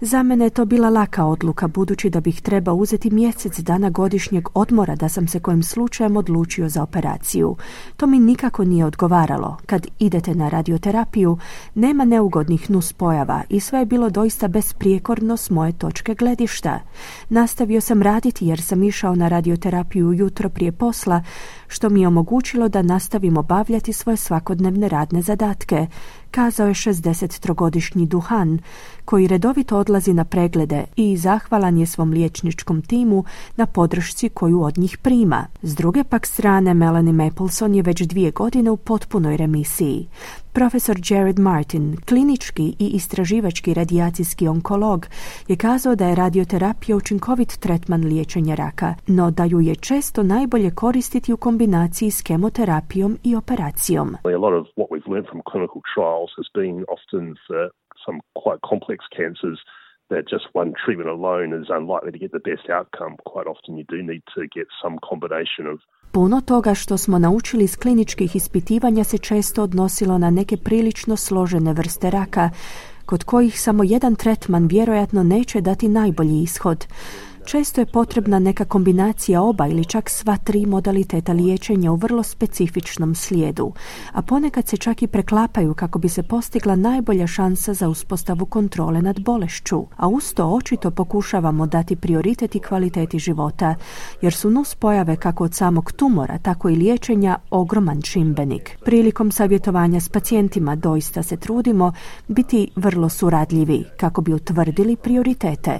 Za mene je to bila laka odluka, budući da bih trebao uzeti mjesec dana godišnjeg odmora da sam se kojim slučajem odlučio za operaciju. To mi nikako nije odgovaralo. Kad idete na radioterapiju, nema neugodnih nuspojava i sve je bilo doista besprijekorno s moje točke gledišta. Nastavio sam raditi jer sam išao na radioterapiju ujutro prije posla, što mi je omogućilo da nastavim obavljati svoje svakodnevne radne zadatke, kazao je šezdesettrogodišnji Duhan, koji redovito odlazi odlazi na preglede i zahvalan je svom liječničkom timu na podršci koju od njih prima. S druge pak strane, Melanie Mapleson je već dvije godine u potpunoj remisiji. Profesor Jared Martin, klinički i istraživački radijacijski onkolog, je kazao da je radioterapija učinkovit tretman liječenja raka, no da ju je često najbolje koristiti u kombinaciji s kemoterapijom i operacijom. A lot of what we've learned from clinical trials has been often for some quite complex cancers that just one treatment alone is unlikely to get the best outcome. Quite often you do need to get some combination of Puno toga što smo naučili iz kliničkih ispitivanja se često odnosilo na neke prilično složene vrste raka, kod kojih samo jedan tretman vjerojatno neće dati najbolji ishod. Često je potrebna neka kombinacija oba ili čak sva tri modaliteta liječenja u vrlo specifičnom slijedu, a ponekad se čak i preklapaju kako bi se postigla najbolja šansa za uspostavu kontrole nad bolešću, a uz to očito pokušavamo dati prioritet i kvaliteti života, jer su nuspojave kako od samog tumora, tako i liječenja ogroman čimbenik. Prilikom savjetovanja s pacijentima doista se trudimo biti vrlo suradljivi kako bi utvrdili prioritete.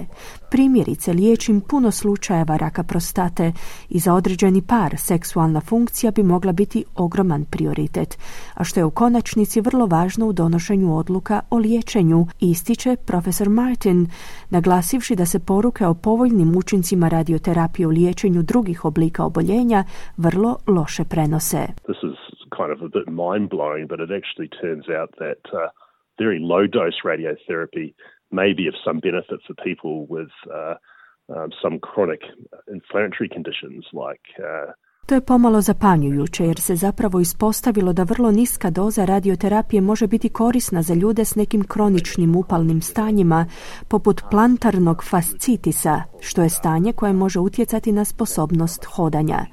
Primjerice, liječim puno slučajeva raka prostate i za određeni par seksualna funkcija bi mogla biti ogroman prioritet, a što je u konačnici vrlo važno u donošenju odluka o liječenju, ističe profesor Martin, naglasivši da se poruke o povoljnim učincima radioterapije u liječenju drugih oblika oboljenja vrlo loše prenose. This is kind of a bit mind-blowing, but it actually turns out that uh, very low-dose radiotherapy may be of some benefit for people with uh, um, some chronic inflammatory conditions like uh, To je pomalo zapanjujuće jer se zapravo ispostavilo da vrlo niska doza radioterapije može biti korisna za ljude s nekim kroničnim upalnim stanjima poput plantarnog fascitisa, što je stanje koje može utjecati na sposobnost hodanja.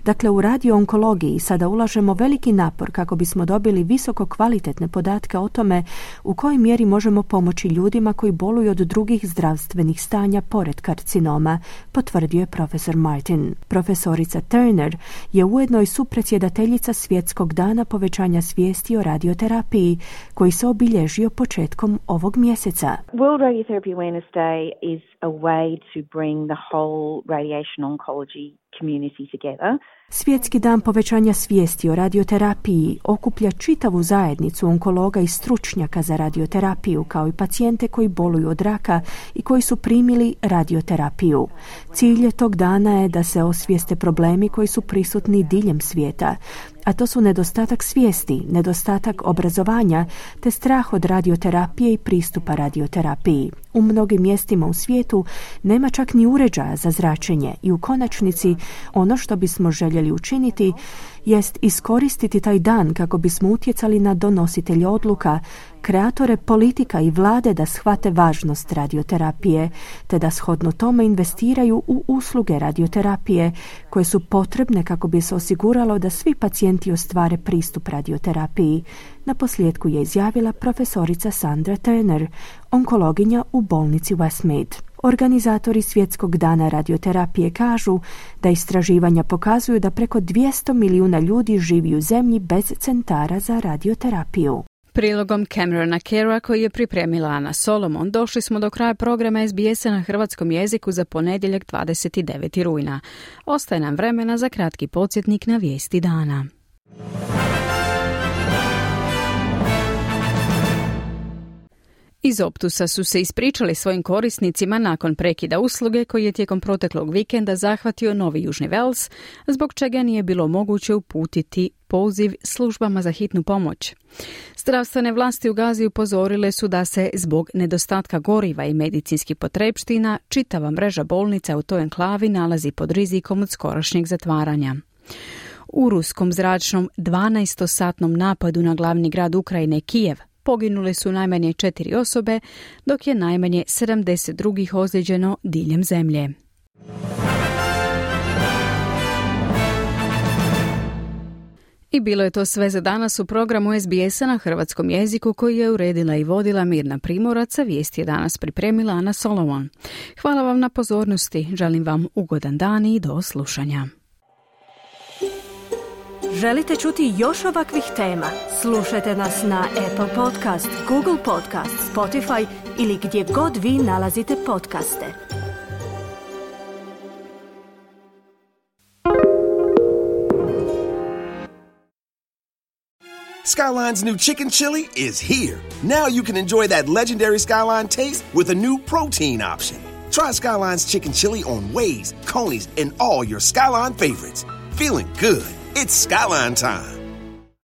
Dakle, u radioonkologiji sada ulažemo veliki napor kako bismo dobili visoko kvalitetne podatke o tome u kojoj mjeri možemo pomoći ljudima koji boluju od drugih zdravstvenih stanja pored karcinoma, potvrdio je profesor Martin. Profesorica Turner je ujedno i supredsjedateljica Svjetskog dana povećanja svijesti o radioterapiji, koji se obilježio početkom ovog mjeseca. World Radiotherapy Awareness Day is a way to bring the whole radiation oncology community together. Svjetski dan povećanja svijesti o radioterapiji okuplja čitavu zajednicu onkologa i stručnjaka za radioterapiju, kao i pacijente koji boluju od raka i koji su primili radioterapiju. Cilj tog dana je da se osvijeste problemi koji su prisutni diljem svijeta, a to su nedostatak svijesti, nedostatak obrazovanja te strah od radioterapije i pristupa radioterapiji. U mnogim mjestima u svijetu nema čak ni uređaja za zračenje i u konačnici ono što bismo željeli učiniti jest iskoristiti taj dan kako bismo utjecali na donositelje odluka, kreatore politika i vlade da shvate važnost radioterapije, te da shodno tome investiraju u usluge radioterapije koje su potrebne kako bi se osiguralo da svi pacijenti ostvare pristup radioterapiji. Na posljedku je izjavila profesorica Sandra Turner, onkologinja u bolnici Westmead. Organizatori Svjetskog dana radioterapije kažu da istraživanja pokazuju da preko dvjesto milijuna ljudi živi u zemlji bez centara za radioterapiju. Prilogom Camerona Kera koji je pripremila Ana Solomon došli smo do kraja programa S B S-a na hrvatskom jeziku za ponedjeljak dvadeset deveti rujna. Ostaje nam vremena za kratki podsjetnik na vijesti dana. Iz Optusa su se ispričali svojim korisnicima nakon prekida usluge koji je tijekom proteklog vikenda zahvatio Novi Južni Wales, zbog čega nije bilo moguće uputiti poziv službama za hitnu pomoć. Zdravstvene vlasti u Gazi upozorile su da se zbog nedostatka goriva i medicinskih potrepština čitava mreža bolnica u toj enklavi nalazi pod rizikom od skorašnjeg zatvaranja. U ruskom zračnom dvanaestosatnom napadu na glavni grad Ukrajine Kijev poginule su najmanje četiri osobe, dok je najmanje sedamdeset drugih ozlijeđeno diljem zemlje. I bilo je to sve za danas u programu S B S-a na hrvatskom jeziku koji je uredila i vodila Mirna Primorac, a vijesti je danas pripremila Ana Solomon. Hvala vam na pozornosti, želim vam ugodan dan i do slušanja. Želite čuti još ovakvih tema? Slušajte nas na Apple Podcast, Google Podcast, Spotify ili gdje god vi nalazite podcaste. Skyline's new chicken chili is here. Now you can enjoy that legendary Skyline taste with a new protein option. Try Skyline's chicken chili on Waze, Coney's, and all your Skyline favorites. Feeling good. It's Skyline time.